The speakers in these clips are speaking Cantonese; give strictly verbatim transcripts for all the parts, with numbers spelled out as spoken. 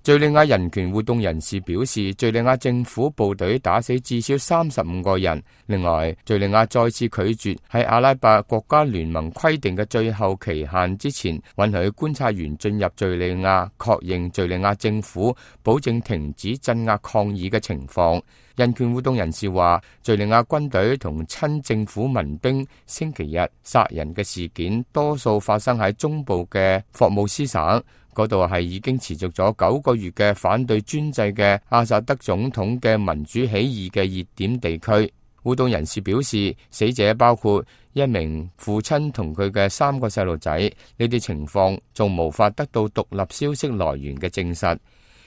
敘利亞人權活動人士表示，敘利亞政府部隊打死至少三十五個人。另外，敘利亞再次拒絕喺阿拉伯國家聯盟規定嘅最後期限之前，允許觀察員進入敘利亞，確認敘利亞政府保證停止鎮壓抗議嘅情況。人權活動人士話，敘利亞軍隊同親政府民兵星期日殺人嘅事件，多數發生喺中部嘅霍姆斯省，嗰度係已經持續咗九個月嘅反對專制嘅阿薩德總統嘅民主起義嘅熱點地區。活動人士表示，死者包括一名父親同佢嘅三個細路仔，呢啲情況仲無法得到獨立消息來源嘅證實。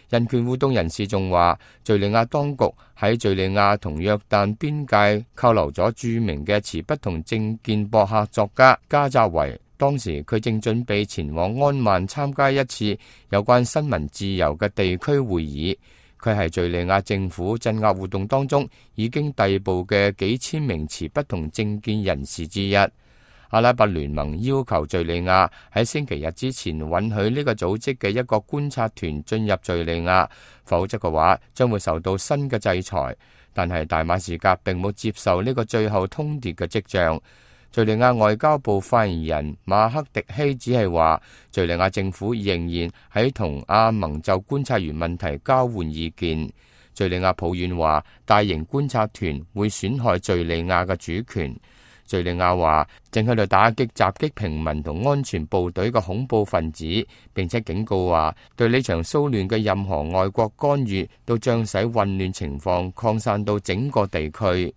人權活動人士仲話，敘利亞當局喺敘利亞同約旦邊界扣留咗著名嘅持不同政見博客作家加扎維，當時佢正準備前往安曼參加一次有關新聞自由嘅地區會議。佢係敘利亞政府鎮壓活動當中已經逮捕嘅幾千名持不同政見人士之一。阿拉伯聯盟要求敘利亞喺星期日之前允許呢個組織嘅一個觀察團進入敘利亞，否則嘅話將會受到新嘅制裁。但係大馬士革並冇接受呢個最後通牒嘅跡象。敘利亞外交部發言人馬克迪希只係話，敘利亞政府仍然喺同阿盟就觀察員問題交換意見。敘利亞抱怨話，大型觀察團會損害敘利亞嘅主權。敘利亞話正喺度打擊襲擊平民同安全部隊嘅恐怖分子，並且警告話，對呢場騷亂嘅任何外國干預都將使混亂情況擴散到整個地區。